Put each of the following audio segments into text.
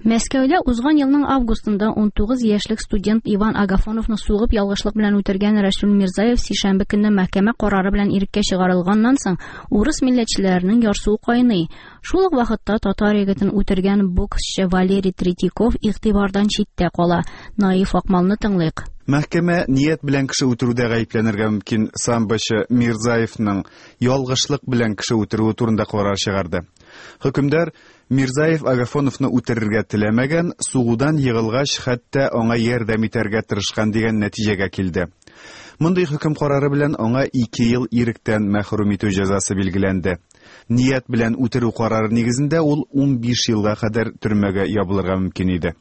Мәскәүдә узган елның августында 19 яшьлек студент Иван Агафоновны сугып ялгышлык белән үтергән Рәсүл Мирзаев сишәмбе көнне мәхкәмә карары белән иреккә чыгарылганнан соң урыс милләтчеләренең ярсуы кайный. Шул ук вакытта татар егетен үтергән боксчы Валерий Третьяков игътибардан читтә кала. Наиф Акмалны тыңлыйк. Мәхкәмә ният белән кеше үтерүдә гаепләнергә мөмкин самбочы Мирзаевның ялгышлык белән кеше үтерүе турында карар чыгарды. Хөкемдар Мирзаев Агафоновны үтерергә теләмәгән, сугудан егылгач, хәтта аңа ярдәм итәргә тырышкан дигән нәтиҗәгә килде. Мондый хөкем карары белән аңа 2 ел иректән мәхрүм итү җәзасы билгеләнде. Ният белән үтерү карары нигезендә ул 15 елга кадәр төрмәгә ябылырга мөмкин иде.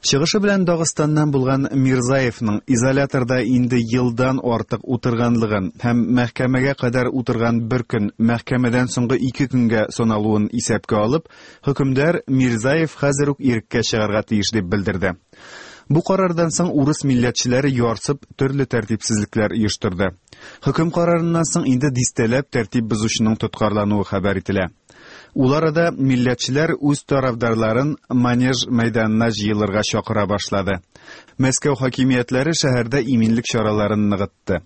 Чыгышы белән Дагыстаннан булган Мирзаевның изоляторда инде елдан артык утырганлыгын һәм мәхкәмәгә кадәр утырган бер көн мәхкәмәдән соңгы 2 көнгә саналуын исәпкә алып, хөкемдар Мирзаев хәзер үк иреккә чыгарга тиеш дип белдерде. Бу карардан соң урыс милләтчеләре ярсып төрле тәртипсезлекләр оештырды. Хөкем карарыннан соң инде дистәләп тәртип бозучының тоткарлануы хәбәр ителә. Ул арада милләтчеләр үз тарафдарларын Манеж мәйданына җыелырга чакыра башлады. Мәскәү хакимиятләре шәһәрдә иминлек чараларын ныгытты.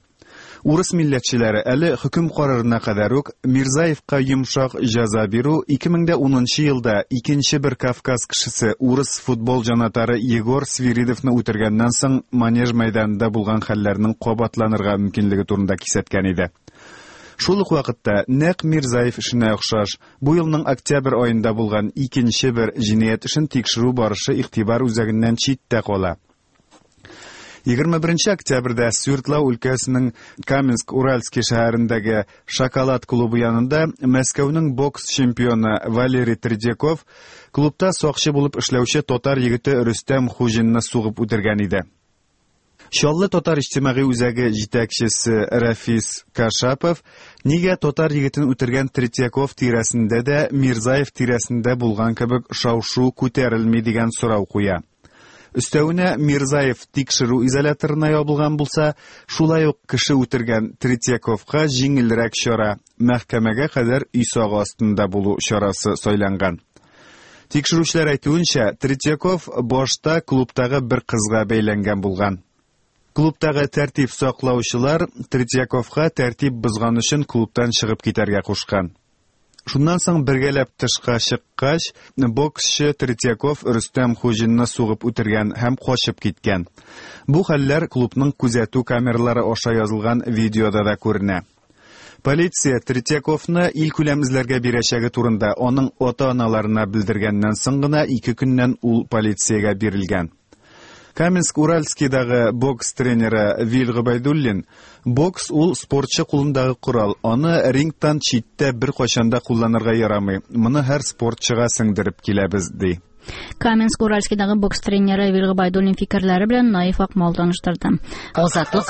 Урыс милләтчеләре әле хөкем карарына кадәр үк Мирзаевка йомшак җәза бирү 2010 елда икенче бер Кавказ кешесе урыс футбол җанатары Егор Свиридовны үтергәннән соң Манеж мәйданында булган хәлләрнең кабатланырга мөмкинлеге турында кисәткән иде. Шул ук вакытта нәкъ Мирзаев эшенә охшаш, бу елның октябрь аенда булган икенче бер җинаять эшен тикшерү барышы игътибар үзәгеннән читтә кала. 21 октябрьдә Свердлау өлкәсенең Каменск-Уральский шәһәрендәге Шоколад клубы янында Мәскәүнең бокс чемпионы Валерий Третьяков клубта сакчы булып эшләүче татар егете Рөстәм Хуҗинны сугып үтергән иде. Чаллы татар иҗтимагый үзәге җитәкчесе Рафис Кашапов нигә татар егетен үтергән Третьяков тирәсендә дә Мирзаев тирәсендә булган кебек шау-шу күтәрелми дигән сорау куя. Өстәвенә Мирзаев тикшерү изоляторына ябылган булса, шулай ук кеше үтергән Третьяковка җиңелрәк чара, мәхкәмәгә кадәр өй сагы астында булу чарасы сайланган. Тикшерүчеләр әйтүенчә, Третьяков башта клубтагы бер кызга бәйләнгән булган. Клубтагы тәртип саклаучылар Третьяковка тәртип бозган өчен клубтан чыгып китәргә кушкан. Шуннан соң бергәләп тышка чыккач, боксчы Третьяков Рөстәм Хуҗинны сугып үтергән һәм качып киткән. Бу хәлләр клубның күзәтү камералары аша язылган видеода да күренә. Полиция Третьяковны илкүләм эзләргә бирәчәге турында аның ата-аналарына белдергәннән соң гына 2 көннән ул полициягә бирелгән. Каменск-Уральскийдагы бокс тренеры Вил Гобәйдуллин, бокс ул спортчы кулындагы корал, аны рингтан читтә бер кайчан да кулланырга ярамый. Моны һәр спортчыга сеңдереп киләбез, ди. Каменск-Уральскийдагы бокс тренеры Вил Гобәйдуллин фикерләре белән Наиф Акмал таныштырды. Азатлык.